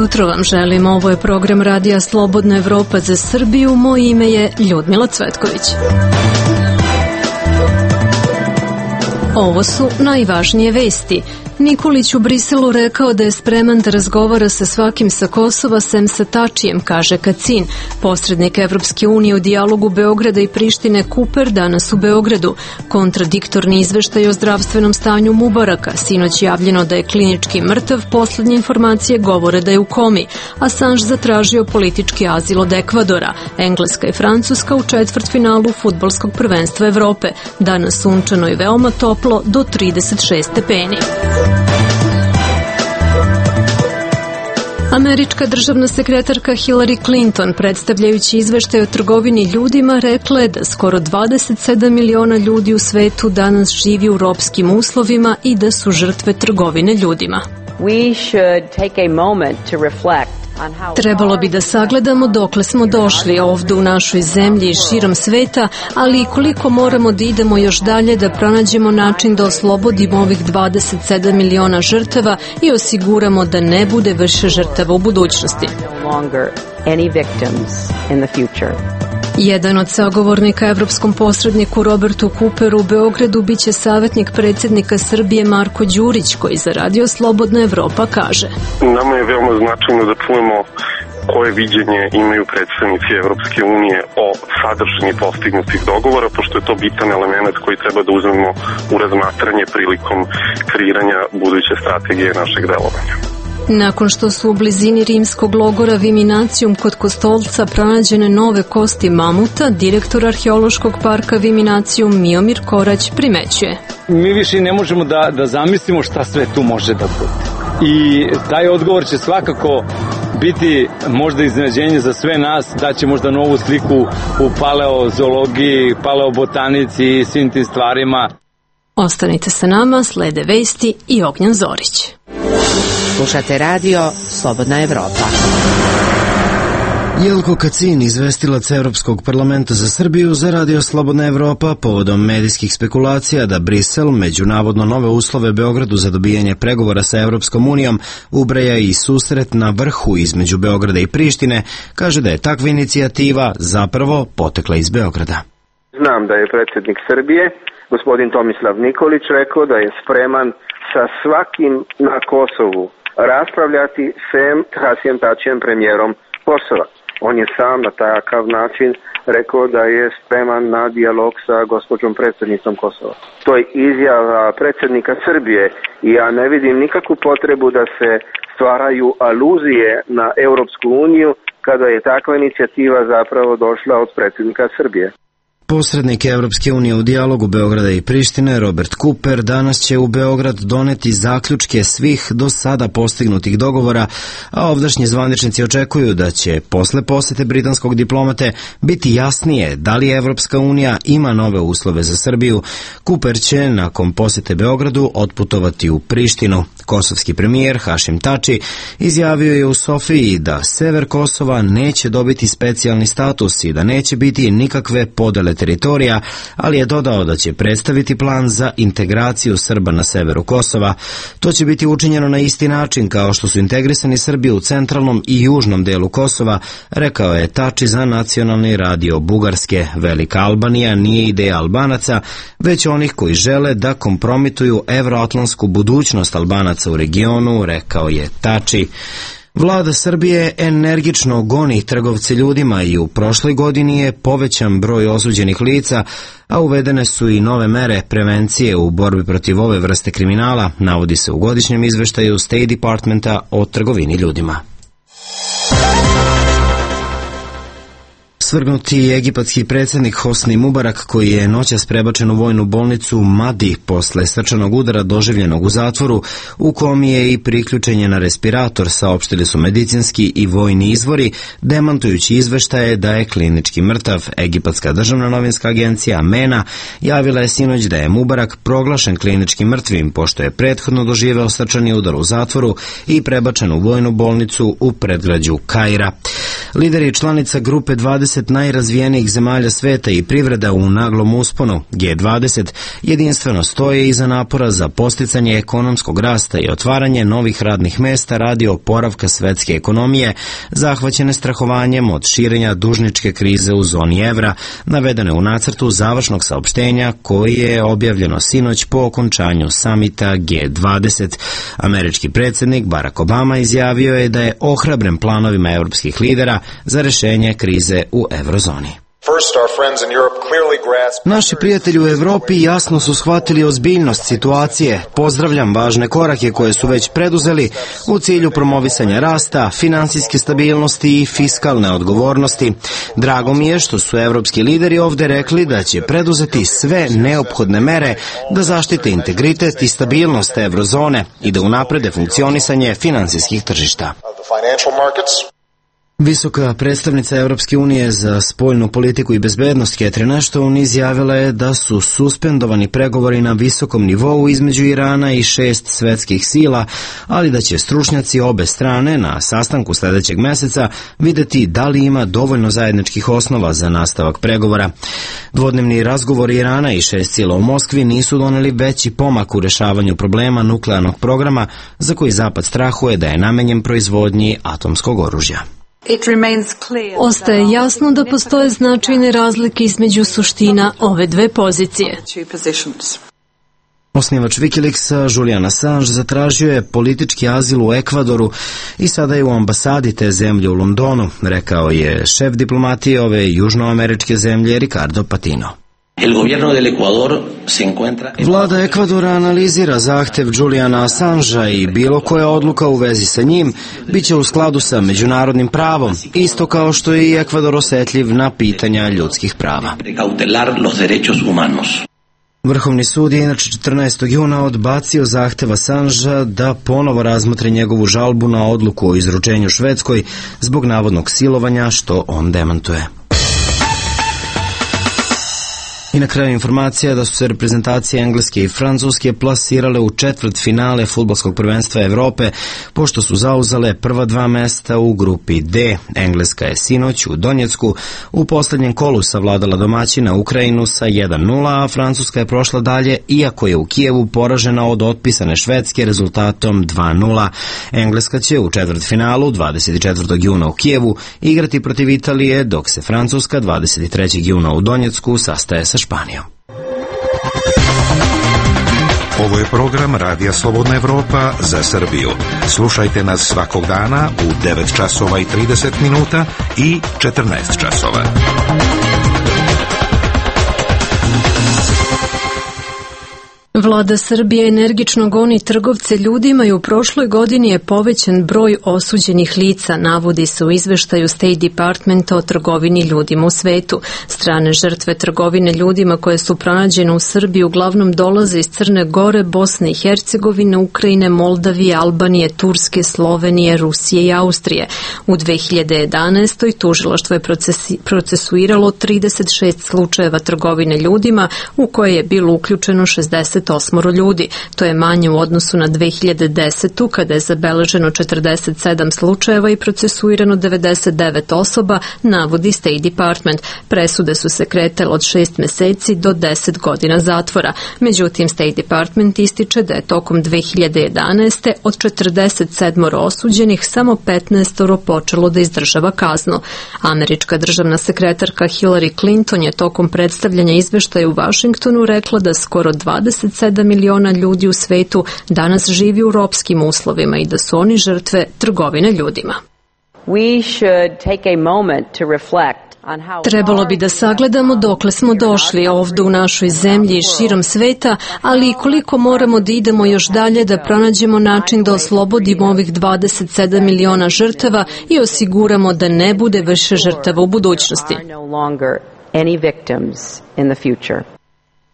jutro vam želim, ovo je program Radija Slobodna Evropa za Srbiju, moje ime je Ljudmila Cvetković. Ovo su najvažnije vesti. Nikolić u Briselu rekao da je spreman da razgovara sa svakim sa Kosova sem sa Tačijem, kaže Kacin. Posrednik Evropske unije u dijalogu Beograda i Prištine Kuper danas u Beogradu. Kontradiktorni izveštaj o zdravstvenom stanju Mubaraka. Sinoć javljeno da je klinički mrtav, poslednje informacije govore da je u komi. Assange zatražio politički azil od Ekvadora. Engleska i Francuska u četvrtfinalu fudbalskog prvenstva Evrope. Danas sunčano i veoma toplo do 36 stepeni. Američka državna sekretarka Hillary Clinton, predstavljajući izveštaj o trgovini ljudima, rekla je da skoro 27 miliona ljudi u svetu danas živi u ropskim uslovima i da su žrtve trgovine ljudima. Trebalo bi da sagledamo dokle smo došli ovde u našoj zemlji i širom sveta, ali i koliko moramo da idemo još dalje da pronađemo način da oslobodimo ovih 27 miliona žrtava i osiguramo da ne bude više žrtava u budućnosti. Jedan od sagovornika evropskom posredniku Robertu Kuperu u Beogradu biće savjetnik predsjednika Srbije Marko Đurić, koji za Radio Slobodna Evropa kaže: Nama je veoma značajno da čujemo koje viđenje imaju predstavnici Evropske unije o sadržini postignutih dogovora, pošto je to bitan element koji treba da uzmemo u razmatranje prilikom kreiranja buduće strategije našeg delovanja. Nakon što su u blizini rimskog logora Viminacijum kod Kostolca pronađene nove kosti mamuta, direktor arheološkog parka Viminacijum Miomir Korać primećuje: Mi više ne možemo da zamislimo šta sve tu može da bude. I taj odgovor će svakako biti možda iznenađenje za sve nas, da će možda novu sliku u paleozoologiji, paleobotanici i svim tim stvarima. Ostanite sa nama, slede vesti i Ognjan Zorić. Slušate radio Slobodna Evropa. Jelko Kacin, izvestilac Evropskog parlamenta za Srbiju za Radio Slobodna Evropa, povodom medijskih spekulacija da Brisel, među navodno nove uslove Beogradu za dobijanje pregovora sa Evropskom unijom, ubraja i susret na vrhu između Beograda i Prištine, kaže da je takva inicijativa zapravo potekla iz Beograda. Znam da je predsjednik Srbije, gospodin Tomislav Nikolić, rekao da je spreman sa svakim na Kosovu raspravljati sem Hasijem Tačijem, premijerom Kosova. On je sam na takav način rekao da je spreman na dijalog sa gospođom predsjednicom Kosova. To je izjava predsjednika Srbije i ja ne vidim nikakvu potrebu da se stvaraju aluzije na Europsku uniju kada je takva inicijativa zapravo došla od predsjednika Srbije. Posrednik Evropske unije u dijalogu Beograda i Prištine, Robert Kuper, danas će u Beograd doneti zaključke svih do sada postignutih dogovora, a ovdašnji zvaničnici očekuju da će posle posete britanskog diplomate biti jasnije da li Evropska unija ima nove uslove za Srbiju. Kuper će nakon posete Beogradu otputovati u Prištinu. Kosovski premijer Hašim Tači izjavio je u Sofiji da sever Kosova neće dobiti specijalni status i da neće biti nikakve podele teritorija, ali je dodao da će predstaviti plan za integraciju Srba na severu Kosova. To će biti učinjeno na isti način kao što su integrisani Srbi u centralnom i južnom delu Kosova, rekao je Tači za nacionalni radio Bugarske. Velika Albanija nije ideja Albanaca, već onih koji žele da kompromituju evroatlantsku budućnost Albanaca u regionu, rekao je Tači. Vlada Srbije energično goni trgovce ljudima i u prošloj godini je povećan broj osuđenih lica, a uvedene su i nove mere prevencije u borbi protiv ove vrste kriminala, navodi se u godišnjem izveštaju State Departmenta o trgovini ljudima. Svrgnuti egipatski predsjednik Hosni Mubarak, koji je noćas prebačen u vojnu bolnicu Madi posle srčanog udara doživljenog u zatvoru, u komi je i priključenje na respirator, saopštili su medicinski i vojni izvori, demantujući izveštaje da je klinički mrtav. Egipatska državna novinska agencija MENA javila je sinoć da je Mubarak proglašen klinički mrtvim, pošto je prethodno doživeo srčani udar u zatvoru i prebačen u vojnu bolnicu u predgrađu Kaira. Lideri članica grupe 20 najrazvijenijih zemalja sveta i privreda u naglom usponu, G20, jedinstveno stoje iza napora za posticanje ekonomskog rasta i otvaranje novih radnih mesta radi oporavka svetske ekonomije, zahvaćene strahovanjem od širenja dužničke krize u zoni evra, navedene u nacrtu završnog saopštenja koji je objavljeno sinoć po okončanju samita G20. Američki predsjednik Barack Obama izjavio je da je ohrabren planovima europskih lidera za rešenje krize u eurozoni. Naši prijatelji u Evropi jasno su shvatili ozbiljnost situacije. Pozdravljam važne korake koje su već preduzeli u cilju promovisanja rasta, finansijske stabilnosti i fiskalne odgovornosti. Drago mi je što su evropski lideri ovde rekli da će preduzeti sve neophodne mere da zaštite integritet i stabilnost eurozone i da unaprede funkcionisanje finansijskih tržišta. Visoka predstavnica Evropske unije za spoljnu politiku i bezbednost Catherine Ashton izjavila je da su suspendovani pregovori na visokom nivou između Irana i 6 svetskih sila, ali da će stručnjaci obe strane na sastanku sledećeg meseca videti da li ima dovoljno zajedničkih osnova za nastavak pregovora. Dvodnevni razgovori Irana i 6 sila u Moskvi nisu doneli veći pomak u rešavanju problema nuklearnog programa za koji Zapad strahuje da je namenjen proizvodnji atomskog oružja. Ostaje jasno da postoje značajne razlike između suština ove dve pozicije. Osnivač Wikileaksa Julian Assange zatražio je politički azil u Ekvadoru i sada je u ambasadi te zemlje u Londonu, rekao je šef diplomatije ove južnoameričke zemlje Ricardo Patino. Vlada Ekvadora analizira zahtev Juliana Assangea i bilo koja odluka u vezi sa njim biće u skladu sa međunarodnim pravom, isto kao što je i Ekvador osetljiv na pitanja ljudskih prava. Vrhovni sud je inače 14. juna odbacio zahtev Assangea da ponovo razmotre njegovu žalbu na odluku o izručenju Švedskoj zbog navodnog silovanja, što on demantuje. I na kraju informacija da su se reprezentacije Engleske i Francuske plasirale u četvrtfinale fudbalskog prvenstva Evrope, pošto su zauzale prva 2 mesta u grupi D. Engleska je sinoć u Donjecku u poslednjem kolu savladala domaćina Ukrajinu sa 1:0, a Francuska je prošla dalje, iako je u Kijevu poražena od otpisane Švedske rezultatom 2:0. Engleska će u četvrtfinalu 24. juna u Kijevu igrati protiv Italije, dok se Francuska 23. juna u Donjecku sastaje sa Španijom. Ovo je program Radija Slobodna Evropa za Srbiju. Slušajte nas svakog dana u 9 časova i 30 minuta i 14 časova. Vlada Srbije energično goni trgovce ljudima i u prošloj godini je povećan broj osuđenih lica, navodi se u izveštaju State Departmenta o trgovini ljudima u svetu. Strane žrtve trgovine ljudima koje su pronađene u Srbiji uglavnom dolaze iz Crne Gore, Bosne i Hercegovine, Ukrajine, Moldavije, Albanije, Turske, Slovenije, Rusije i Austrije. U 2011. tužilaštvo je procesuiralo 36 slučajeva trgovine ljudima u koje je bilo uključeno 68 ljudi. To je manje u odnosu na 2010. kada je zabeleženo 47 slučajeva i procesuirano 99 osoba, navodi State Department. Presude su se kretale od 6 meseci do 10 godina zatvora. Međutim, State Department ističe da je tokom 2011. od 47 osuđenih samo 15 počelo da izdržava kaznu. Američka državna sekretarka Hillary Clinton je tokom predstavljanja izveštaja u Vašingtonu rekla da skoro 27 miliona ljudi u svetu danas živi u ropskim uslovima i da su oni žrtve trgovine ljudima. Trebalo bi da sagledamo dokle smo došli ovde u našoj zemlji i širom sveta, ali i koliko moramo da idemo još dalje da pronađemo način da oslobodimo ovih 27 miliona žrtava i osiguramo da ne bude više žrtava u budućnosti.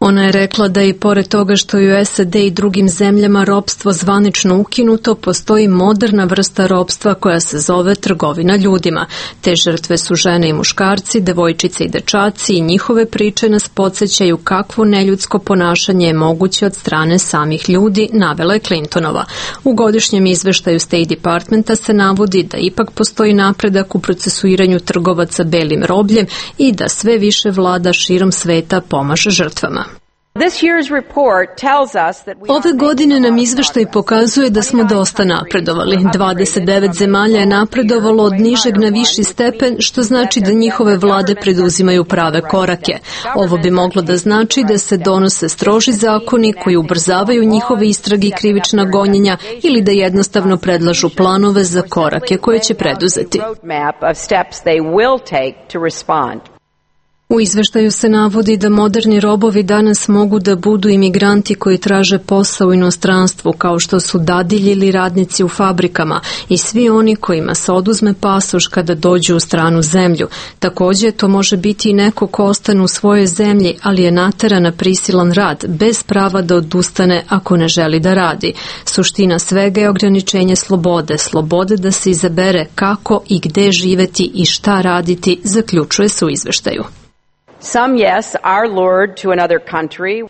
Ona je rekla da i pored toga što je u SAD i drugim zemljama ropstvo zvanično ukinuto, postoji moderna vrsta ropstva koja se zove trgovina ljudima. Te žrtve su žene i muškarci, devojčice i dečaci i njihove priče nas podsjećaju kakvo neljudsko ponašanje je moguće od strane samih ljudi, navela je Clintonova. U godišnjem izveštaju State Departmenta se navodi da ipak postoji napredak u procesuiranju trgovaca belim robljem i da sve više vlada širom sveta pomaže žrtvama. Ove godine nam izveštaj pokazuje da smo dosta napredovali. 29 zemalja je napredovalo od nižeg na viši stepen, što znači da njihove vlade preduzimaju prave korake. Ovo bi moglo da znači da se donose stroži zakoni koji ubrzavaju njihove istrage i krivična gonjenja ili da jednostavno predlažu planove za korake koje će preduzeti. U izveštaju se navodi da moderni robovi danas mogu da budu imigranti koji traže posao u inostranstvu, kao što su dadilji ili radnici u fabrikama i svi oni kojima se oduzme pasoš kada dođu u stranu zemlju. Također, to može biti i neko ko ostane u svojoj zemlji, ali je nateran na prisilan rad, bez prava da odustane ako ne želi da radi. Suština svega je ograničenje slobode da se izabere kako i gde živeti i šta raditi, zaključuje se u izveštaju.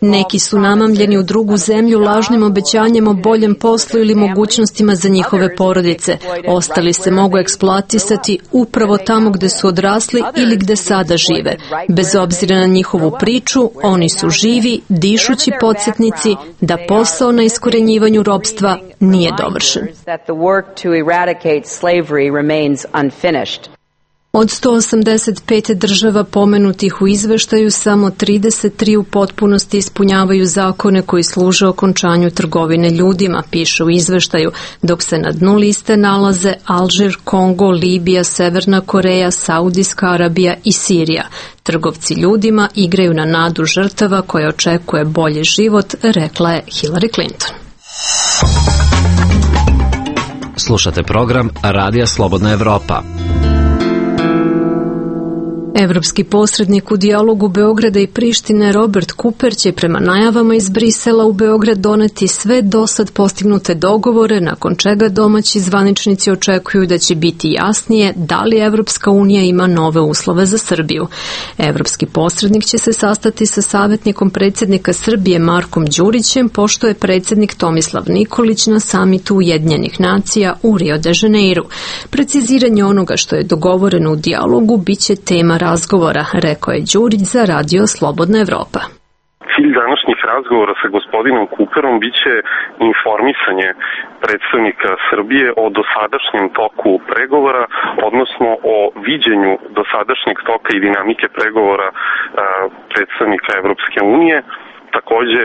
Neki su namamljeni u drugu zemlju lažnim obećanjem o boljem poslu ili mogućnostima za njihove porodice. Ostali se mogu eksploatisati upravo tamo gde su odrasli ili gde sada žive. Bez obzira na njihovu priču, oni su živi, dišući podsjetnici da posao na iskorenjivanju ropstva nije dovršen. Od 185 država pomenutih u izveštaju, samo 33 u potpunosti ispunjavaju zakone koji služe okončanju trgovine ljudima, piše u izveštaju, dok se na dnu liste nalaze Alžir, Kongo, Libija, Severna Koreja, Saudijska Arabija i Sirija. Trgovci ljudima igraju na nadu žrtava koja očekuje bolji život, rekla je Hillary Clinton. Slušate program Radija Slobodna Evropa. Evropski posrednik u dijalogu Beograda i Prištine Robert Cooper će prema najavama iz Brisela u Beograd doneti sve dosad postignute dogovore, nakon čega domaći zvaničnici očekuju da će biti jasnije da li Evropska unija ima nove uslove za Srbiju. Evropski posrednik će se sastati sa savjetnikom predsjednika Srbije Markom Đurićem, pošto je predsjednik Tomislav Nikolić na samitu Ujedinjenih nacija u Rio de Janeiru. Preciziranje onoga što je dogovoreno u dijalogu biće tema razgovora, rekao je Đurić za Radio Slobodna Evropa. Cilj današnjih razgovora sa gospodinom Cooperom biće informisanje predstavnika Srbije o dosadašnjem toku pregovora, odnosno o viđenju dosadašnjeg toka i dinamike pregovora predstavnika Evropske unije. Takođe,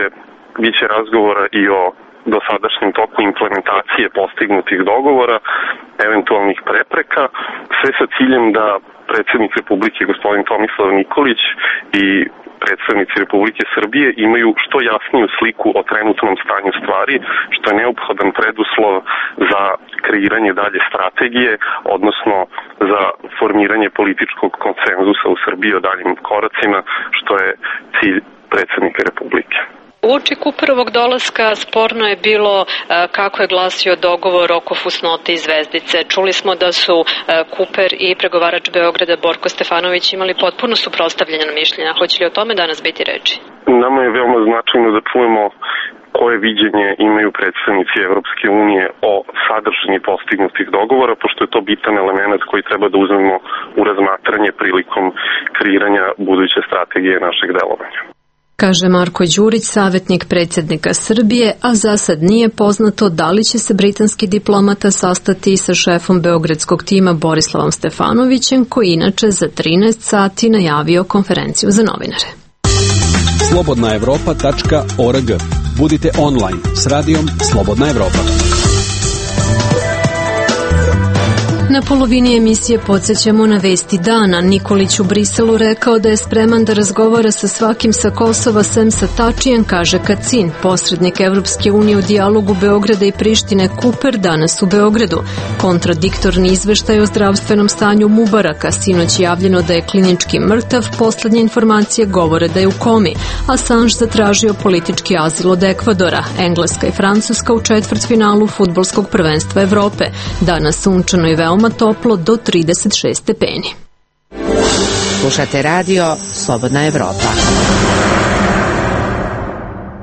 biće razgovora i o dosadašnjem toku implementacije postignutih dogovora, eventualnih prepreka, sve sa ciljem da predsjednik Republike gospodin Tomislav Nikolić i predstavnici Republike Srbije imaju što jasniju sliku o trenutnom stanju stvari, što je neophodan preduslov za kreiranje dalje strategije, odnosno za formiranje političkog konsenzusa u Srbiji o daljim koracima, što je cilj predsjednika Republike. Uoči Cooperovog dolaska sporno je bilo kako je glasio dogovor oko fusnote i zvezdice. Čuli smo da su Cooper i pregovarač Beograda Borko Stefanović imali potpuno suprotstavljena mišljenja. Hoće li o tome danas biti reči? Nama je veoma značajno da čujemo koje viđenje imaju predstavnici Evropske unije o sadržini postignutih dogovora, pošto je to bitan element koji treba da uzmemo u razmatranje prilikom kreiranja buduće strategije našeg delovanja. Kaže Marko Đurić, savjetnik predsjednika Srbije, a za sad nije poznato da li će se britanski diplomata sastati sa šefom beogradskog tima Borislavom Stefanovićem, koji inače za 13 sati najavio konferenciju za novinare. slobodnaevropa.org. Budite online s radijom Slobodna Evropa. Na polovini emisije podsjećamo na vesti dana. Nikolić u Briselu rekao da je spreman da razgovara sa svakim sa Kosova sem sa Tačijem, kaže Kacin. Posrednik Evropske unije u dijalogu Beograda i Prištine Kuper danas u Beogradu. Kontradiktorni izveštaj o zdravstvenom stanju Mubaraka. Sinoć javljeno da je klinički mrtav, poslednje informacije govore da je u komi. Assange zatražio politički azil od Ekvadora. Engleska i Francuska u četvrtfinalu fudbalskog prvenstva Evrope. Danas sunčano i veoma toplo do 36 stepeni. Slušate radio Slobodna Evropa.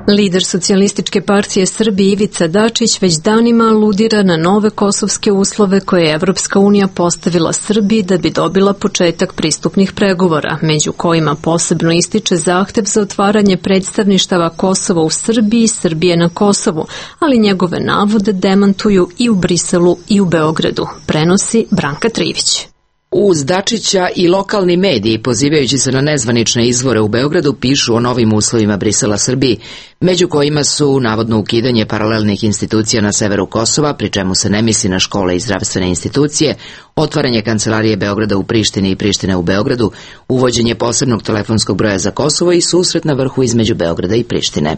Lider Socijalističke partije Srbije Ivica Dačić već danima aludira na nove kosovske uslove koje je Evropska unija postavila Srbiji da bi dobila početak pristupnih pregovora, među kojima posebno ističe zahtev za otvaranje predstavništava Kosova u Srbiji i Srbije na Kosovu, ali njegove navode demantuju i u Briselu i u Beogradu, prenosi Branka Trivić. Uz Dačića i lokalni mediji, pozivajući se na nezvanične izvore u Beogradu, pišu o novim uslovima Brisela Srbiji, među kojima su navodno ukidanje paralelnih institucija na severu Kosova, pri čemu se ne misli na škole i zdravstvene institucije, otvaranje kancelarije Beograda u Prištini i Prištine u Beogradu, uvođenje posebnog telefonskog broja za Kosovo i susret na vrhu između Beograda i Prištine.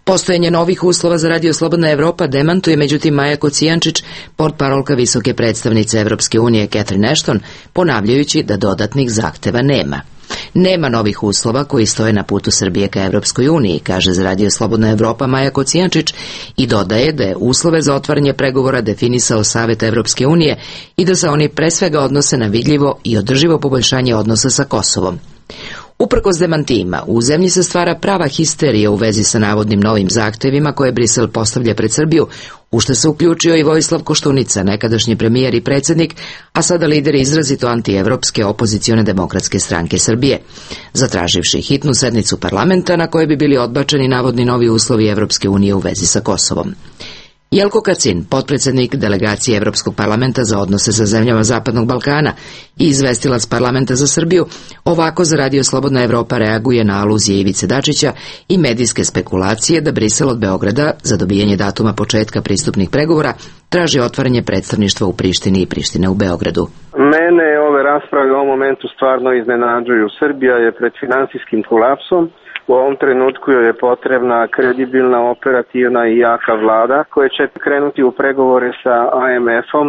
Postojanje novih uslova za Radio Slobodna Evropa demantuje međutim Maja Kocijančić, portparolka visoke predstavnice Evropske unije Catherine Ashton, ponavljajući da dodatnih zahteva nema. Nema novih uslova koji stoje na putu Srbije ka Evropskoj uniji, kaže za Radio Slobodna Evropa Maja Kocijančić i dodaje da je uslove za otvaranje pregovora definisao Savet Evropske unije i da se oni pre svega odnose na vidljivo i održivo poboljšanje odnosa sa Kosovom. Uprkos demantijima, u zemlji se stvara prava histerija u vezi sa navodnim novim zahtevima koje Brisel postavlja pred Srbiju, u što se uključio i Vojislav Koštunica, nekadašnji premijer i predsjednik, a sada lider izrazito antievropske opozicione demokratske stranke Srbije, zatraživši hitnu sednicu parlamenta na kojoj bi bili odbačeni navodni novi uslovi Evropske unije u vezi sa Kosovom. Jelko Kacin, potpredsjednik delegacije Evropskog parlamenta za odnose sa zemljama Zapadnog Balkana i izvestilac parlamenta za Srbiju, ovako za Radio Slobodna Evropa reaguje na aluzije Ivice Dačića i medijske spekulacije da Brisel od Beograda za dobijanje datuma početka pristupnih pregovora traži otvaranje predstavništva u Prištini i Prištine u Beogradu. Mene ove rasprave u ovom momentu stvarno iznenađuju. Srbija je pred finansijskim kolapsom. U ovom trenutku joj je potrebna kredibilna, operativna i jaka vlada koja će krenuti u pregovore sa IMF-om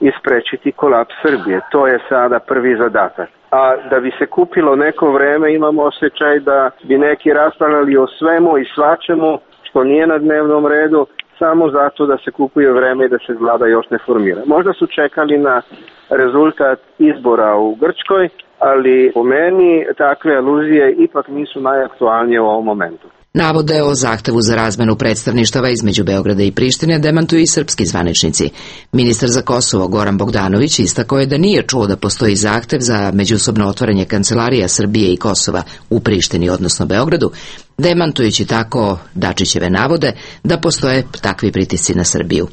i sprečiti kolaps Srbije. To je sada prvi zadatak. A da bi se kupilo neko vreme, imamo osjećaj da bi neki raspravljali o svemu i svačemu što nije na dnevnom redu, samo zato da se kupuje vreme i da se vlada još ne formira. Možda su čekali na rezultat izbora u Grčkoj, ali po meni takve aluzije ipak nisu najaktualnije u ovom momentu. Navode o zahtevu za razmenu predstavništava između Beograda i Prištine demantuju i srpski zvaničnici. Ministar za Kosovo Goran Bogdanović istakao je da nije čuo da postoji zahtev za međusobno otvaranje kancelarija Srbije i Kosova u Prištini, odnosno Beogradu, demantujući tako Dačićeve navode da postoje takvi pritisci na Srbiju.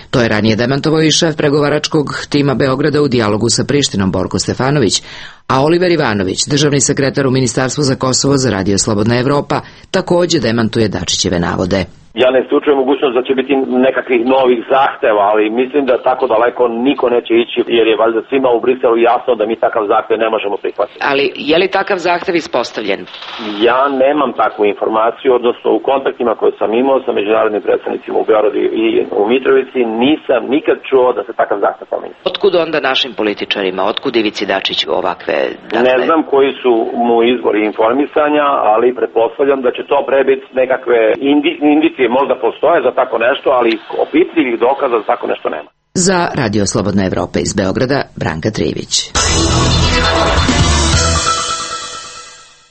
To je ranije demantovao i šef pregovaračkog tima Beograda u dijalogu sa Prištinom Borko Stefanović, a Oliver Ivanović, državni sekretar u Ministarstvu za Kosovo za Radio Slobodna Evropa, također demantuje Dačićeve navode. Ja ne isključujem mogućnost da će biti nekakvih novih zahteva, ali mislim da tako daleko niko neće ići, jer je valjda svima u Briselu jasno da mi takav zahtev ne možemo prihvatiti. Ali je li takav zahtev ispostavljen? Ja nemam takvu informaciju, odnosno u kontaktima koje sam imao sa međunarodnim predstavnicima u Beogradu i u Mitrovici nisam nikad čuo da se takav zahtev pomeni. Otkud onda našim političarima, otkud Ivici Dačiću ovakve? Ne znam koji su mu izvori informisanja, ali pretpostavljam da će to prebiti nekakve indicije možda postoje za tako nešto, ali opipljivih dokaza za tako nešto nema. Za Radio Slobodna Evropa iz Beograda, Branka Trivić.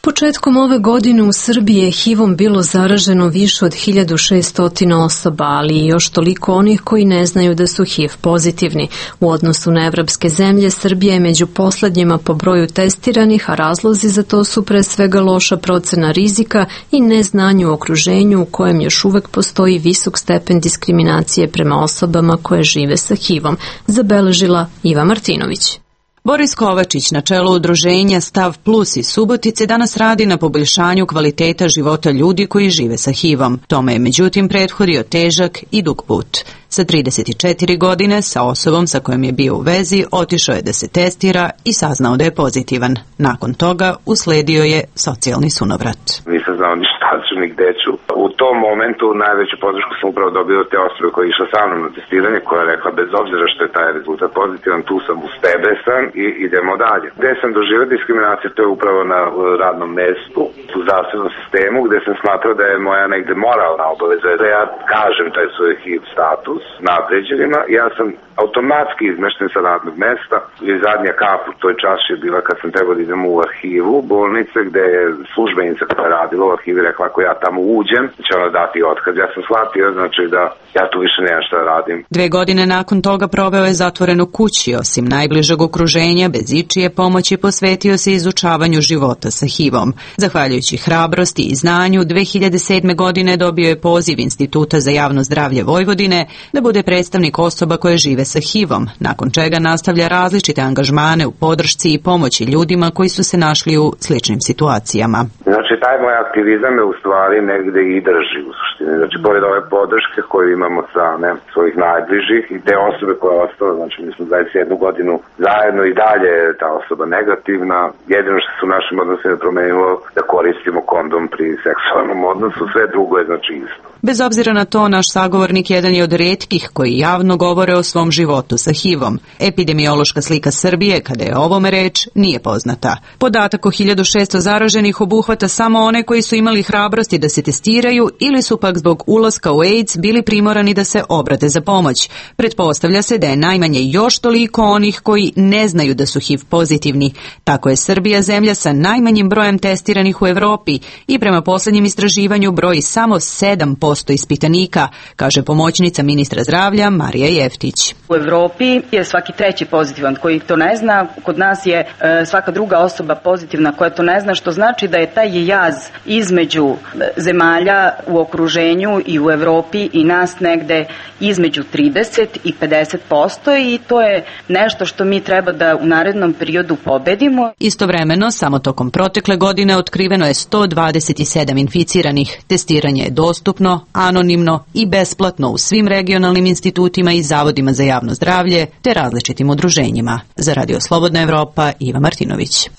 Početkom ove godine u Srbiji je HIV-om bilo zaraženo više od 1600 osoba, ali i još toliko onih koji ne znaju da su HIV pozitivni. U odnosu na evropske zemlje, Srbija je među poslednjima po broju testiranih, a razlozi za to su pre svega loša procena rizika i neznanje u okruženju u kojem još uvek postoji visok stepen diskriminacije prema osobama koje žive sa HIV-om, zabeležila Iva Martinović. Boris Kovačić, na čelu udruženja Stav Plus iz Subotice, danas radi na poboljšanju kvaliteta života ljudi koji žive sa HIV-om. Tome je međutim prethodio težak i dug put. Sa 34 godine, sa osobom sa kojom je bio u vezi, otišao je da se testira i saznao da je pozitivan. Nakon toga usledio je socijalni sunovrat. Nisam znao ni šta ću, ni gde ću. U tom momentu najveću podršku sam upravo dobio od te osobe koja je išla sa mnom na testiranje, koja je rekla bez obzira što je taj rezultat pozitivan, tu sam, uz tebe sam i idemo dalje. Gde sam doživio diskriminaciju, to je upravo na radnom mestu, u zdravstvenom sistemu, gde sam smatrao da je moja negde moralna obaveza da ja kažem taj svoj HIV status nadređenima. Ja sam automatski izmešten sa radnog mesta i zadnja kap u toj čaši je bila kad sam trebao da idem u arhivu bolnice, gde je službenica koja je radila u arhivi rekla ako ja tamo uđem, će ona dati otkaz. Ja sam shvatio, znači da ja tu više nemam šta da radim. 2 godine nakon toga proveo je zatvoren u kući, osim najbližeg okruženja, bez ičije pomoći posvetio se izučavanju života sa HIV-om. Zahvaljujući hrabrosti i znanju, 2007. godine dobio je poziv Instituta za javno zdravlje Vojvodine da bude predstavnik osoba koje žive sa HIV-om, nakon čega nastavlja različite angažmane u podršci i pomoći ljudima koji su se našli u sličnim situacijama. Znači, taj moj aktivizam je u stvari negde i drži u suštini. Znači, pored ove podrške koju imamo od strane svojih najbližih i te osobe koja je ostala, znači mi smo 21 godinu zajedno i dalje je ta osoba negativna. Jedino što se u našim odnosima promenilo da koristimo kondom pri seksualnom odnosu, sve drugo je znači isto. Bez obzira na to, naš sagovornik jedan je od retkih koji javno govore o svom životu sa HIV-om. Epidemiološka slika Srbije, kada je o ovome reč, nije poznata. Podatak o 1600 zaraženih obuhvata samo one koji su imali hrabrosti da se testiraju ili su pak zbog ulaska u AIDS bili primorani da se obrate za pomoć. Pretpostavlja se da je najmanje još toliko onih koji ne znaju da su HIV pozitivni. Tako je Srbija zemlja sa najmanjim brojem testiranih u Evropi i prema posljednjem istraživanju broji samo 7% ispitanika, kaže pomoćnica ministra zdravlja Marija Jeftić. U Evropi je svaki treći pozitivan koji to ne zna, kod nas je svaka druga osoba pozitivna koja to ne zna, što znači da je taj jaz između zemalja u okruženju i u Evropi i nas negde između 30 i 50% i to je nešto što mi treba da u narednom periodu pobedimo. Istovremeno, samo tokom protekle godine otkriveno je 127 inficiranih. Testiranje je dostupno, anonimno i besplatno u svim regionalnim institutima i zavodima za javno zdravlje te različitim udruženjima. Za Radio Slobodna Evropa, Iva Martinović.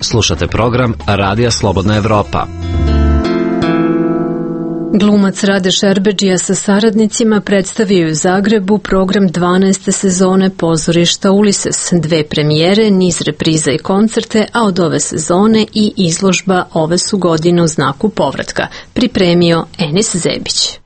Slušate program Radija Slobodna Evropa. Glumac Rade Šerbedžija sa saradnicima predstavio u Zagrebu program 12. sezone pozorišta Ulises, 2 premijere, niz repriza i koncerte, a od ove sezone i izložba Ove su godine u znaku povratka, pripremio Enis Zebić.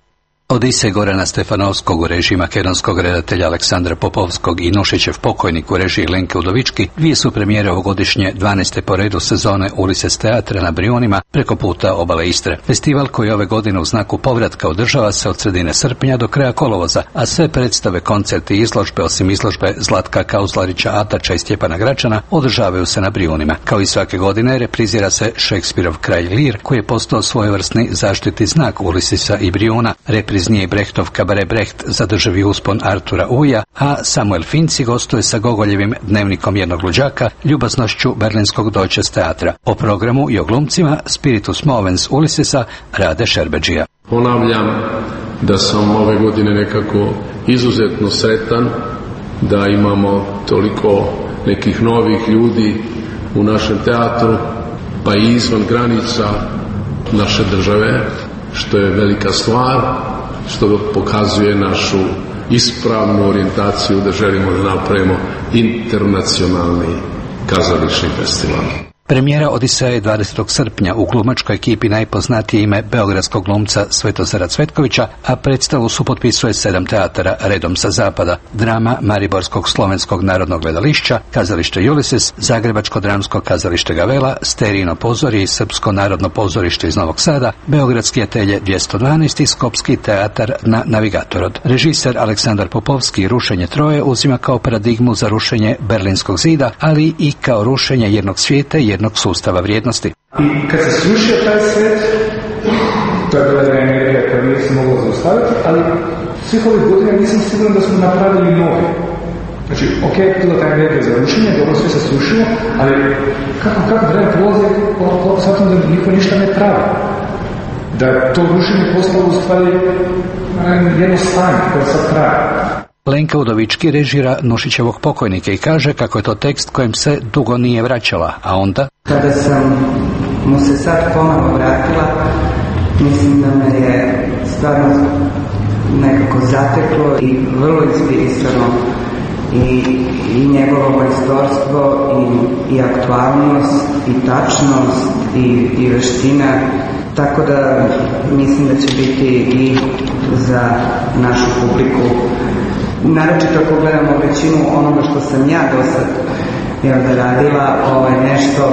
Odisej Gorana Stefanovskog u režiji makedonskog redatelja Aleksandra Popovskog i Nušićev pokojnik u režiji Lenke Udovički 2 su premijere ovogodišnje 12. po redu sezone Ulises teatra na Brijunima preko puta obale Istre. Festival koji ove godine u znaku povratka održava se od sredine srpnja do kraja kolovoza, a sve predstave, koncerti i izložbe, osim izložbe Zlatka Kauzlarića, Atača i Stjepana Gračana, održavaju se na Brijunima. Kao i svake godine reprizira se Šekspirov Kralj Lir, koji je postao svojevrsni zaštitni znak Ulisisa i Brijuna. Reprizni je Brechtov Kabaret Brecht Zadržavi uspon Artura Uja, a Samuel Finci gostuje sa Gogoljevim Dnevnikom jednog luđaka, ljubaznošću berlinskog Deutsches teatra. O programu i o glumcima Spiritus Movens Ulisisa Rade Šerbedžija. Ponavljam da sam ove godine nekako izuzetno sretan da imamo toliko nekih novih ljudi u našem teatru, pa i izvan granica naše države, što je velika stvar, što pokazuje našu ispravnu orijentaciju da želimo da napravimo internacionalni kazališni festival. Premijera Odiseja je 20. srpnja u glumačkoj ekipi najpoznatije ime beogradskog glumca Svetozara Cvetkovića, a predstavu supotpisuje 7 teatara redom sa zapada: drama Mariborskog slovenskog narodnog gledališća, kazalište Ulysses, Zagrebačko dramsko kazalište Gavela, Sterijino pozorje i Srpsko narodno pozorište iz Novog Sada, Beogradski atelje 212 i Skopski teatar na Navigatorod. Režiser Aleksandar Popovski Rušenje Troje uzima kao paradigmu za rušenje Berlinskog zida, ali i kao rušenje jednog svijeta i jednog sustava vrijednosti. I kad se srušio taj svijet, to je bila energija koja nije se mogla zaustaviti, ali svih ovih godina nisam siguran da smo napravili nove. Znači, ok, bila ta energija za rušenje, dobro sve se srušilo, ali kako vreme prolazi, shvatim da niko ništa ne pravi. da to rušenje postalo u stvari jedno stanje koje sad traje. Lenka Udovički režira Nušićevog pokojnika i kaže kako je to tekst kojem se dugo nije vraćala, a onda... Kada sam mu se sad ponovo vratila, mislim da me je stvarno nekako zateklo i vrlo inspirisano i njegovo majstorstvo i aktualnost i tačnost i veština, tako da mislim da će biti i za našu publiku, naročito ako gledamo većinu onoga što sam ja do sad radila, nešto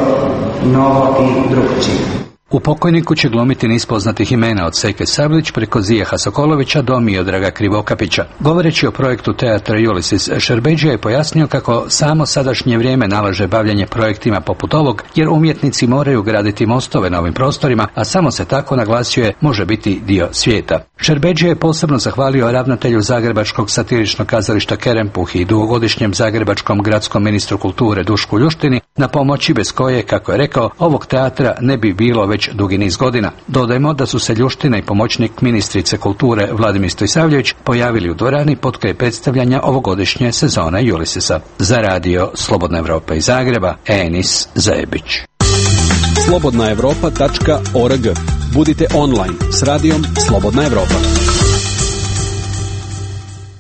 novo i drugčije. U pokojniku će glumiti niz poznatih imena od Seke Sablić preko Zijaha Sokolovića do Miodraga Krivokapića. Govoreći o projektu teatra Ulysses, Šerbedžija je pojasnio kako samo sadašnje vrijeme nalaže bavljanje projektima poput ovog, jer umjetnici moraju graditi mostove na ovim prostorima, a samo se tako, naglasio je, može biti dio svijeta. Šerbedžija je posebno zahvalio ravnatelju Zagrebačkog satiričnog kazališta Kerempuh i dugogodišnjem zagrebačkom gradskom ministru kulture Dušku Ljuštini na pomoći bez koje, kako je rekao, ovog teatra ne bi bilo već dugi niz godina. Dodajmo da su se Ljuština i pomoćnik ministrice kulture Vladimir Stojsavljević pojavili u dvorani potkraj predstavljanja ovogodišnje sezone Ulyssesa. Za radio Slobodna Evropa iz Zagreba, Enis Zajebić. slobodnaevropa.org. Budite online s radijom Slobodna Evropa.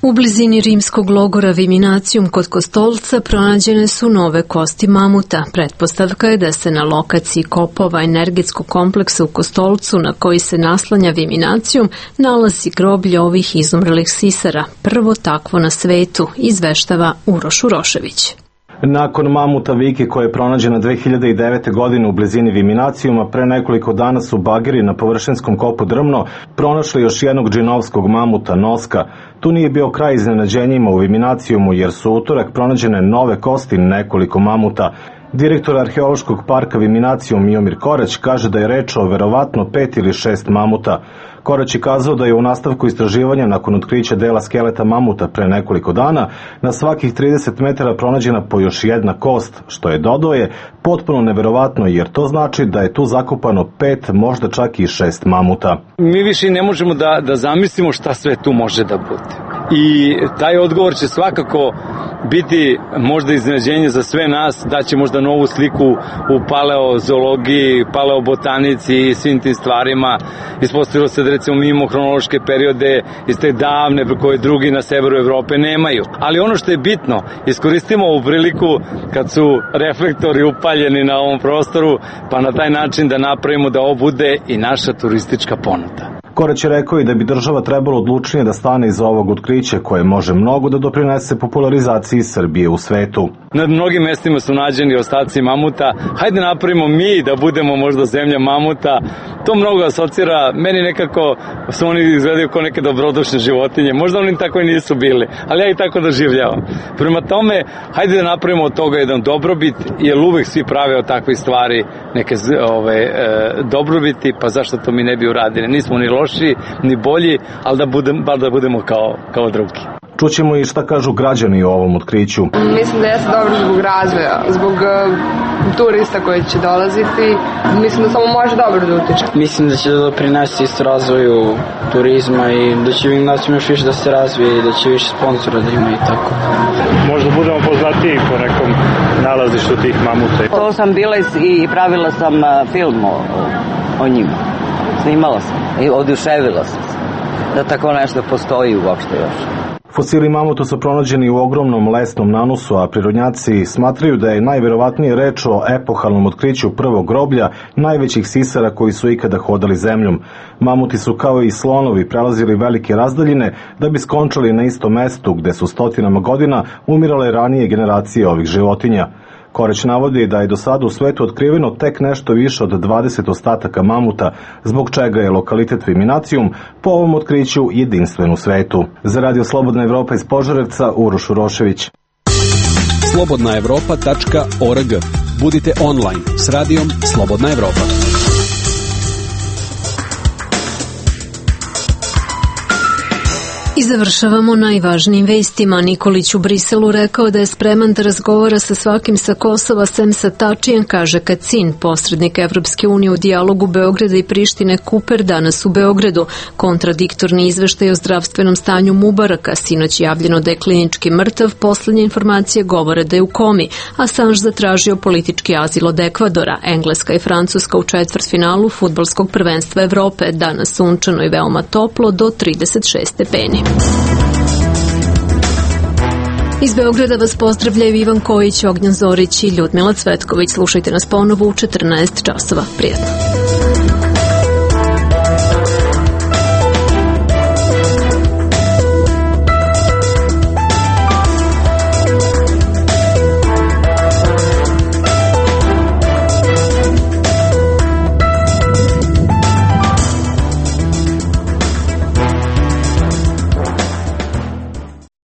U blizini rimskog logora Viminacijum kod Kostolca pronađene su nove kosti mamuta. Pretpostavka je da se na lokaciji kopova energetskog kompleksa u Kostolcu, na koji se naslanja Viminacijum, nalazi groblje ovih izumrlih sisara, prvo takvo na svetu, izveštava Uroš Urošević. Nakon mamuta Viki koja je pronađena 2009. godine u blizini Viminacijuma, pre nekoliko dana su bageri na površinskom kopu Drmno pronašli još jednog džinovskog mamuta Noska. Tu nije bio kraj iznenađenjima u Viminacijumu, jer su utorak pronađene nove kosti nekoliko mamuta. Direktor arheološkog parka Viminacijum Miomir Korać kaže da je reč o verovatno 5 ili 6 mamuta. Korać je kazao da je u nastavku istraživanja nakon otkrića dela skeleta mamuta pre nekoliko dana na svakih 30 metara pronađena po još jedna kost, što je, dodao je, potpuno neverovatno, jer to znači da je tu zakopano 5, možda čak i 6 mamuta. Mi više ne možemo da zamislimo šta sve tu može da bude. I taj odgovor će svakako biti možda iznenađenje za sve nas, da će možda novu sliku u paleozoologiji, paleobotanici i svim tim stvarima. Ispostavilo se da recimo mi imamo hronološke periode iz te davne koje drugi na severu Evrope nemaju. Ali ono što je bitno, iskoristimo ovu priliku kad su reflektori upaljeni na ovom prostoru, pa na taj način da napravimo da ovo bude i naša turistička ponuda. Korać je rekao i da bi država trebalo odlučnije da stane iza ovog otkrića koje može mnogo da doprinese popularizaciji Srbije u svetu. Na mnogim mestima su nađeni ostaci mamuta. Hajde napravimo mi da budemo možda zemlja mamuta. To mnogo asocira. Meni nekako su oni izgledaju kao neke dobrodušne životinje. Možda oni tako i nisu bili, ali ja i tako doživljavam. Prema tome, hajde da napravimo od toga jedan dobrobit, jer uvek svi prave od takvih stvari neke dobrobiti, pa zašto to mi ne bi uradili? Nismo ni loši, ni bolji, ali da budemo kao drugi. Čućemo i šta kažu građani o ovom otkriću. Mislim da jeste dobro zbog razvoja, zbog turista koji će dolaziti. Mislim da samo može dobro da utiče. Mislim da će da doprinesti isto razvoju turizma i da će Viminacijum još više da se razvije i da će više sponsora da ima i tako. Možda budemo poznatiji po nekom nalazištu tih mamuta. To sam bila i pravila sam film o njima. Snimala sam i oduševila sam se da tako nešto postoji uopšte još. Fosili mamuta su pronađeni u ogromnom lesnom nanosu, a prirodnjaci smatraju da je najverovatnije reč o epohalnom otkriću prvog groblja najvećih sisara koji su ikada hodali zemljom. Mamuti su kao i slonovi prelazili velike razdaljine da bi skončali na istom mestu gde su stotinama godina umirale ranije generacije ovih životinja. Korać navodi da je do sada u svetu otkriveno tek nešto više od 20 ostataka mamuta, zbog čega je lokalitet Viminacijum po ovom otkriću jedinstven u svetu. Za radio Slobodna Evropa iz Požarevca, Uroš Urošević. slobodnaevropa.org. Budite online s radijom Slobodna Evropa. I završavamo najvažnijim vestima. Nikolić u Briselu rekao da je spreman da razgovara sa svakim sa Kosova sem sa Tačijem, kaže Kacin, posrednik Evropske unije u dijalogu Beograda i Prištine Kuper danas u Beogradu. Kontradiktorni izveštaj o zdravstvenom stanju Mubaraka, sinoć javljeno da je klinički mrtav, poslednje informacije govore da je u komi. Assange zatražio politički azil od Ekvadora. Engleska i Francuska u četvrtfinalu fudbalskog prvenstva Evrope. Danas sunčano i veoma toplo do 36 stepeni. Iz Beograda vas pozdravljaju Ivan Kojić, Ognjan Zorić i Ljudmila Cvetković. Slušajte nas ponovo u 14 časova. Prijetno.